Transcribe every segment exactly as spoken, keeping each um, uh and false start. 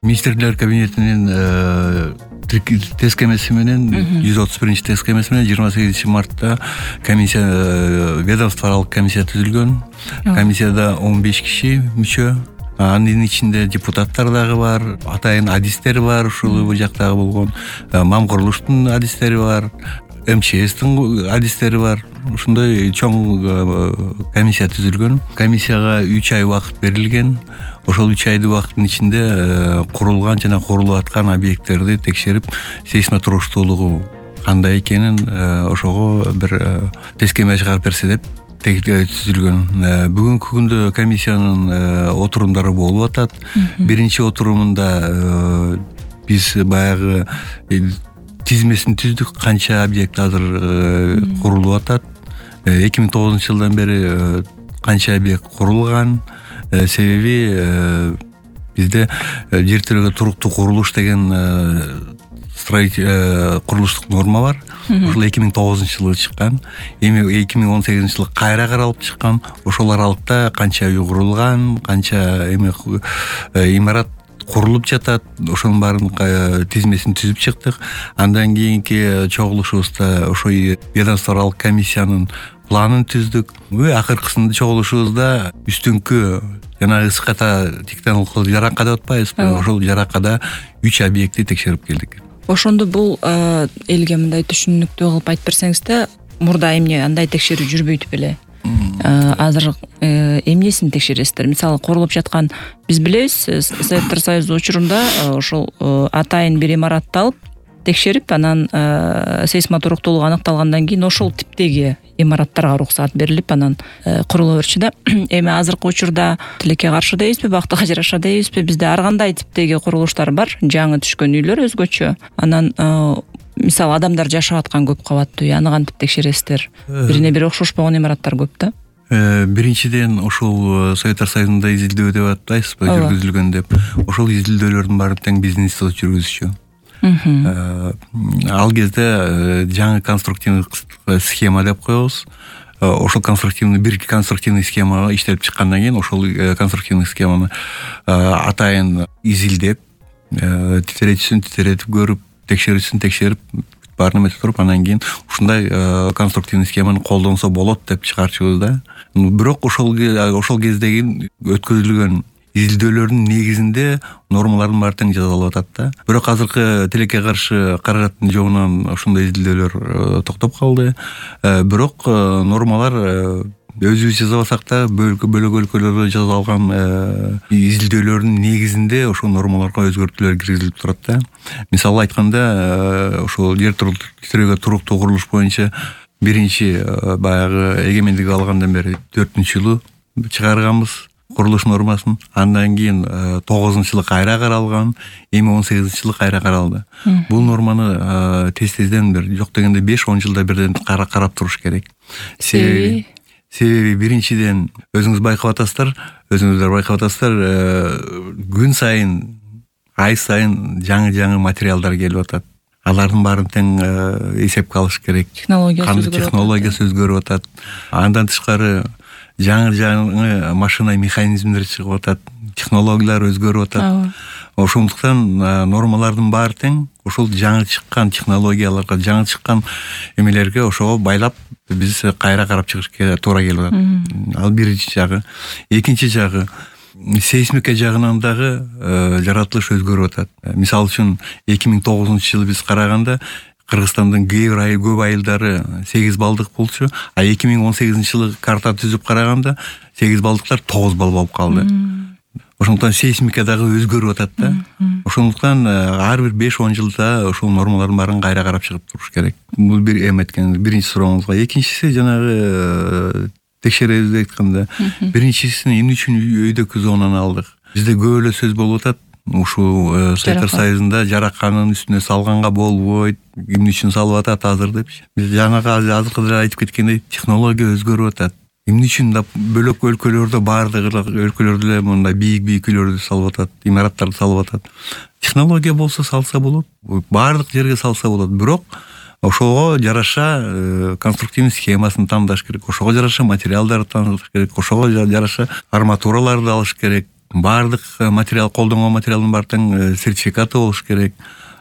Министрлер кабинетинин тест кемеси менен жүз отуз биринчи тест кемеси менен жыйырма сегизинчи мартта комиссия, ведомство аралык комиссия түзүлгөн. Комиссияда он беш киши мүчө. Анын ичинде депутаттар дагы бар, атайын адистер бар, ушул бул жактагы болгон мам курулуштун адистери бар, МЧСтин адистери бар. Ушундай чоң комиссия түзүлгөн. Комиссияга үч ай убакыт берилген. Ошол үч айдын убакыттын ичинде курулган жана курулуп аткан объекттерди текшерип, сейсмотуруктуулугу кандай экенин ошого бир тест кеме чыгарып берсе деп түзүлгөн. Бүгүнкү күндө комиссиянын отурумдары болуп атат. Биринчи отурумунда биз баягы тизмесин түздүк, канча объект азыр курулуп атат. эки миң тогузунчу жылдан бери канча объект курулган. Себеби бизде жер тирөөгө туруктуу курулуш деген курулуштук норма бар. Ошол эки миң тогузунчу жылы чыккан. Эми эки миң он сегизинчи жылы кайра каралып чыккан. Ошол аралыкта канча үй курулган, канча эми имарат курулуп жатат, ошонун баарын тизмесин түзүп чыктык. Андан кийинки чогулушубузда ошо ведомство аралык комиссиянын планын түздүк. Акыркысында чогулушубузда үстүңкү жанагы ысыката тектоникалык жаракка деп атпайбызбы? Ошол жараккада үч объектти текшерип келдик. Ошондо бул элге мындай түшүнүктүү кылып айтып берсеңизде, мурда эмне андай текшерүү жүрбөйт беле? Азыр эмнесин текшересиздер? Мисалы, курулуп жаткан, биз билебиз, Советтер Союзу учурунда ошол атайын бир имаратты алып текшерип, анан сейсмотуруктуулугу аныкталгандан кийин ошол типтеги имараттарга уруксат берилип, анан курулуп берчү да. Эми азыркы учурда тилекке каршы дейбизби, бактыга жараша дейбизби, бизде ар кандай типтеги курулуштар бар, жаңы түшкөн үйлөр өзгөчө. Анан мисалы, адамдар жашап аткан көп кабаттуу үй, аны кантип текшересиздер? Бирине бири окшошпогон имараттар көп да. Биринчиден, ошол Советтер Союзунда изилдөө деп атпайсызбы, жүргүзүлгөн деп. Ошол изилдөөлөрдүн баарын тең биздин институт жүргүзүчү. Ал кезде жаңы конструктивдик схема деп коебуз. Ошол конструктивный бир конструктивный схема иштелип чыккандан кийин ошол конструктивный схеманы атайын изилдеп, титиретүүсүн титиретип көрүп, текшерүүсүн текшерип, баарын эметип туруп, анан кийин ушундай конструктивный схеманы колдонсо болот деп чыгарчубуз да. Бирок ошол ошол кездеги өткөзүлгөн изилдөөлөрдүн негизинде нормалардын баары тең жазалып атат да. Бирок азыркы тилекке каршы каражаттын жогунан ошондой изилдөөлөр токтоп калды. Бирок нормалар өзүбүз жазабасак да, бөлөк өлкөлөрдө жазалган изилдөөлөрдүн негизинде ошол нормаларга өзгөртүүлөр киргизилип турат да. Мисалы айтканда, ошол жер тирөөгө туруктуу курулуш боюнча биринчи баягы эгемендик алгандан бери төртүнчү жылы чыгарганбыз курулуш нормасын. Андан кийин тогузунчу жылы кайра каралган, эми он сегизинчи жылы кайра каралды. Бул норманы тез-тезден бир, жок дегенде беш он жылда бирден карап туруш керек. Себеби Себеби биринчиден өзүңүз байкап атасыздар, өзүңүздөр байкап атасыздар, күн сайын, ай сайын жаңы-жаңы материалдар келип атат. Алардын баарын тең эсепке алыш керек. Технологиясы өзгөрүп атат. Андан тышкары жаңы-жаңы машина механизмдер чыгып атат, технологиялар өзгөрүп атат. Ошондуктан нормалардын баары тең ошол жаңы чыккан технологияларга, жаңы чыккан эмелерге ошого байлап биз кайра карап чыгышка туура келип атат. Ал биринчи жагы. Экинчи жагы, сейсмика жагынан дагы жаратылыш өзгөрүп атат. Мисалы үчүн эки миң тогузунчу жылы биз караганда Кыргызстандын көп айылдары сегиз баллдык болчу, а эки миң он сегизинчи жылы карта түзүп караганда сегиз баллдыктар тогуз балл болуп калды. Ошондуктан сейсмика дагы өзгөрүп атат да. Ошондуктан ар бир беш он жылда ошол нормалардын баарын кайра карап чыгып туруш керек. Бул бир эметкен биринчи сурооңузга. Экинчиси жанагы текшеребиз деп айтканда, биринчисин эмне үчүн өйдөкү зонаны алдык? Бизде көп эле сөз болуп атат. Ушул Советтер Союзунда жараканын үстүнө салганга болбойт, эмне үчүн салып атат азыр депчи. Биз жанагы азыркы айтып кеткендей технология өзгөрүп атат. Эмне үчүн да бөлөк өлкөлөрдө баардык өлкөлөрдө эле мындай бийик-бийик үйлөрдү салып атат, имараттарды салып атат. Технология болсо салса болот, баардык жерге салса болот. Бирок ошого жараша конструктивный схемасын тандаш керек, ошого жараша материалдарды тандаш керек, ошого жараша арматураларды алыш керек. баардык материал, колдонгон материалдын баардыгынын сертификаты болуш керек.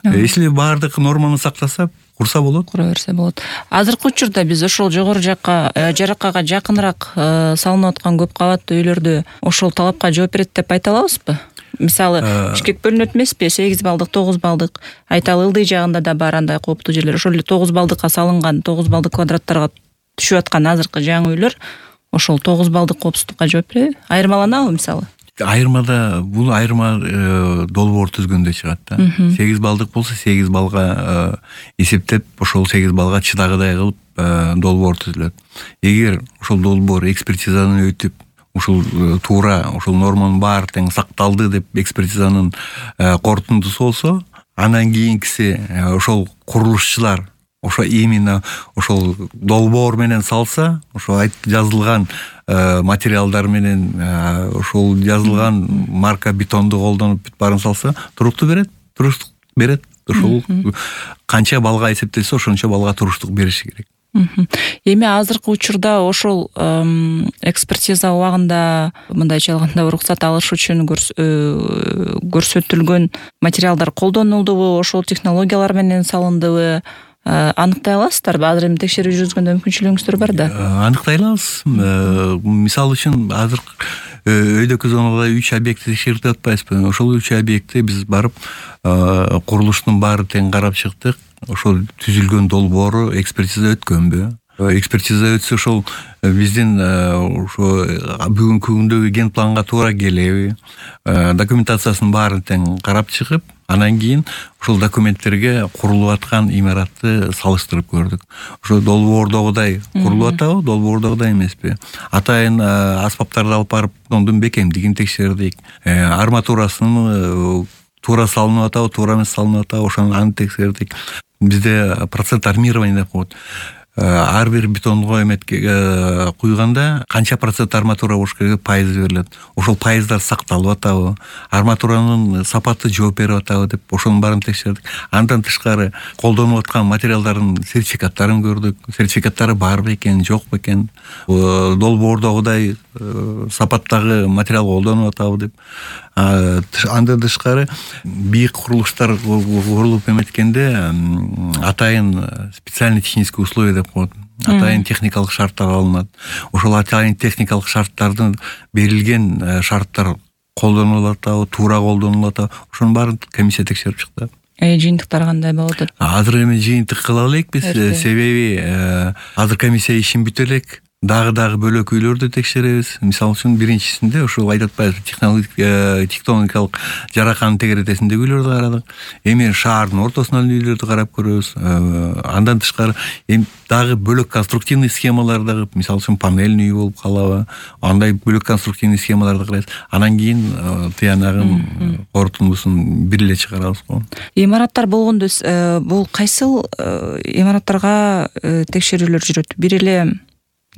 Если баардык норманы сактаса, курса болот. Кура берсе болот. Азыркы учурда биз ошол жогору жакка, жараккага жакыныраак салынып аткан көп кабаттуу үйлөрдө ошол талапка жооп берет деп айта алабызбы? Мисалы, бишкек бөлүнөт эмеспи? сегиз балдык, тогуз балдык. Айталы ылдый жагында да бар андай кооптуу жерлер. Ошол эле тогуз балдыкка салынган, тогуз балдык квадраттарга түшүп аткан азыркы жаңы үйлөр ошол тогуз балдык коопсуздукка жооп береби? Айырмаланабы мисалы? Айырмада бул айырма долбоор түзгөндө чыгат да. сегиз балдык болсо сегиз балга эсептеп, ошол сегиз балга чыдагыдай кылып долбоор түзүлөт. Эгер ошол долбоор экспертизаны өтүп, ушул туура ушул норманын баары тең сакталды деп экспертизанын корутундусу болсо, андан кийинкиси ошол курулушчулар ошо именно ошол долбоор менен салса, ошо жазылган материалдар менен ошол жазылган марка бетонду колдонуп бүт баарын салса, туруктуу берет, туруштук берет. Ошол канча балга эсептелсе, ошончо балга туруштук бериши керек. Эми азыркы учурда ошол экспертиза убагында мындайча алганда уруксат алыш үчүн көрсөтүлгөн материалдар колдонулдубу, ошол технологиялар менен салындыбы, аныктай аласыздарбы? Азыр эми текшерүү жүргүзгөндө мүмкүнчүлүгүңүздөр бар да. Аныктай алабыз. Мисалы үчүн азыр өйдөкү зонада үч объектти текшерип атпайбызбы? Ошол үч объектти биз барып курулуштун баары тең карап чыктык. Ошол түзүлгөн долбоору экспертиза өткөнбү? Экспертиза өтсө, ошол биздин ошо бүгүнкү күндөгү ген планга туура келеби? Документациясынын баарын тең карап чыгып, анан кийин ошол документтерге курулуп аткан имаратты салыштырып көрдүк. Ошо долбоордогудай курулуп атабы, долбоордогудай эмеспи? Атайын аспаптарды алып барып, ондун бекемдигин текшердик. Арматурасын туура салынып атабы, туура эмес салынып атабы, ошону аны текшердик. Бизде процент армирование деп коет. Ар бир бетонго эметке куйганда канча процент арматура болуш керек, пайыз берилет. Ошол пайыздар сакталып атабы, арматуранын сапаты жооп берип атабы деп ошонун баарын текшердик. Андан тышкары колдонуп аткан материалдардын сертификаттарын көрдүк. Сертификаттары барбы экен, жокпу экен, долбоордогудай сапаттагы материал колдонуп атабы деп. Андан тышкары бийик курулуштар курулуп эметкенде атайын специальный технический условия деп коет. Атайын техникалык шарттар алынат. Ошол атайын техникалык шарттардын берилген шарттар колдонулуп атабы, туура колдонулуп атабы, ошонун баарын комиссия текшерип чыкты. Э, жыйынтыктар кандай болуп атат? Азыр эми жыйынтык кыла элекпиз, себеби азыр комиссия ишин бүтө элек. Дагы-дагы бөлөк үйлөрдү текшеребиз. Мисалы үчүн биринчисинде ошол айтып атпайбызбы, тектоникалык жараканын тегеретесиндеги үйлөрдү карадык. Эми шаардын ортосунан үйлөрдү карап көрөбүз. Андан тышкары эми дагы бөлөк конструктивный схемаларды, мисалы үчүн панельный үй болуп калабы, андай бөлөк конструктивный схемаларды карайбыз. Анан кийин тыянагын корутундусун бир эле чыгарабыз го. Имараттар болгондо бул кайсыл имараттарга текшерүүлөр жүрөт? Бир эле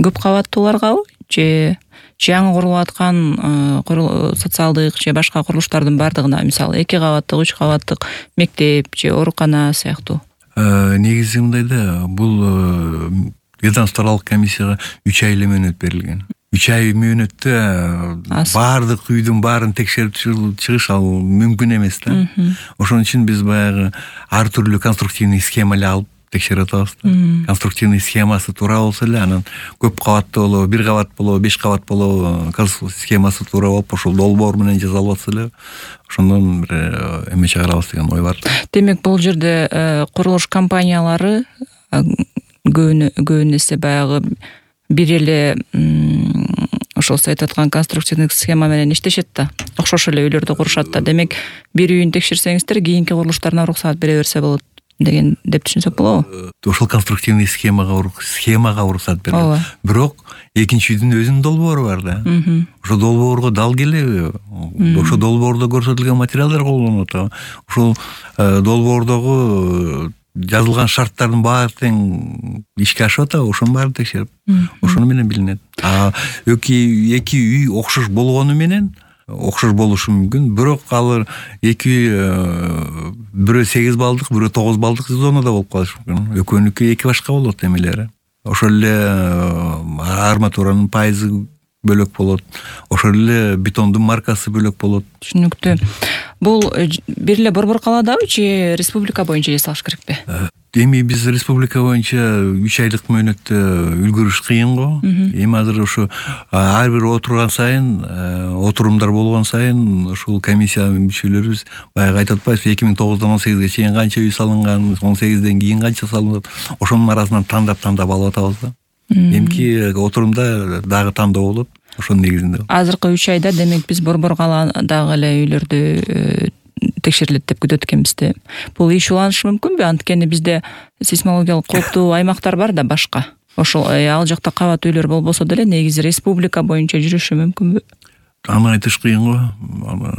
көп кабаттууларгабы же жаңы курулуп аткан социалдык же башка курулуштардын баардыгына, мисалы эки кабаттык, үч кабаттык мектеп же оорукана сыяктуу? Негизи мындай да, бул ведомстволук комиссияга үч ай эле мөөнөт берилген. үч ай мөөнөттө баардык үйдүн баарын текшерип чыгыш ал мүмкүн эмес да. Ошон үчүн биз баягы ар түрдүү конструктивный схема эле алып текшерип атабыз да. Конструктивный схемасы туура болсо эле, анан көп кабаттуу болобу, бир кабат болобу, беш кабат болобу, схемасы туура болуп, ошол долбоор менен жасалып атса эле, ошондон бир эме чыгарабыз деген ой бар. Демек, бул жерде курулуш компаниялары көбүн эсе баягы бир эле ошол сиз айтып аткан конструктивный схема менен иштешет да. Окшош эле үйлөрдү курушат да. Демек, бир үйүн текшерсеңиздер, кийинки курулуштарына уруксат бере берсе болот деген деп түшүнсөк болобу? Ошол конструктивный схемага схемага уруксат берилет. Бирок экинчи үйдүн өзүнүн долбоору бар да. Ошол долбоорго дал келеби? Ошол долбоордо көрсөтүлгөн материалдар колдонулуп атабы? Ошол долбоордогу жазылган шарттардын баары тең ишке ашып атабы? Ошонун баарын текшерип, ошону менен билинет. А эки эки үй окшош болгону менен окшош болушу мүмкүн, бирок алар эки бирөө сегиз балдык, бирөө тогуз балдык зонада болуп калышы мүмкүн. Экөөнүкү эки башка болот эмелери. Ошол эле арматуранын пайызы бөлөк болот, ошол эле бетондун маркасы бөлөк болот. Түшүнүктүү. Бул бир эле Борбор калаадабы же республика боюнча жасалыш керекпи? Эми биз республика боюнча үч айлык мөөнөттө үлгүрүш кыйын го. Эми азыр ошо ар бир отурган сайын, отурумдар болгон сайын ушул комиссиянын мүчөлөрүбүз баягы айтып атпайбызбы, эки миң тогуздан он сегизге чейин канча үй салынган, он сегизден кийин канча салынат, ошонун арасынан тандап-тандап алып атабыз да. Эмки отурумда дагы тандоо болот, ошонун негизинде. Азыркы үч айда демек биз Борбор калаадагы эле үйлөрдү текшерилет деп күтөт экенбиз да. Бул иш уланышы мүмкүнбү? Анткени бизде сейсмологиялык кооптуу аймактар бар да башка. Ошол ал жакта кабат үйлөр болбосо деле негизи республика боюнча жүрүшү мүмкүнбү? Аны айтыш кыйын го.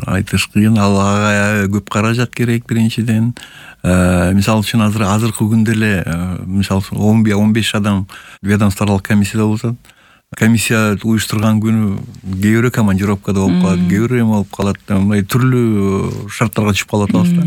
Айтыш кыйын. Ал ага көп каражат керек биринчиден. Мисалы үчүн азыр азыркы күндө эле мисалы он беш адам ведомстволук комиссияда болсо, комиссия уюштурган күнү кээ бирөө командировкада болуп калат, кээ бирөө эме болуп калат, мындай түрлүү шарттарга түшүп калып атабыз да.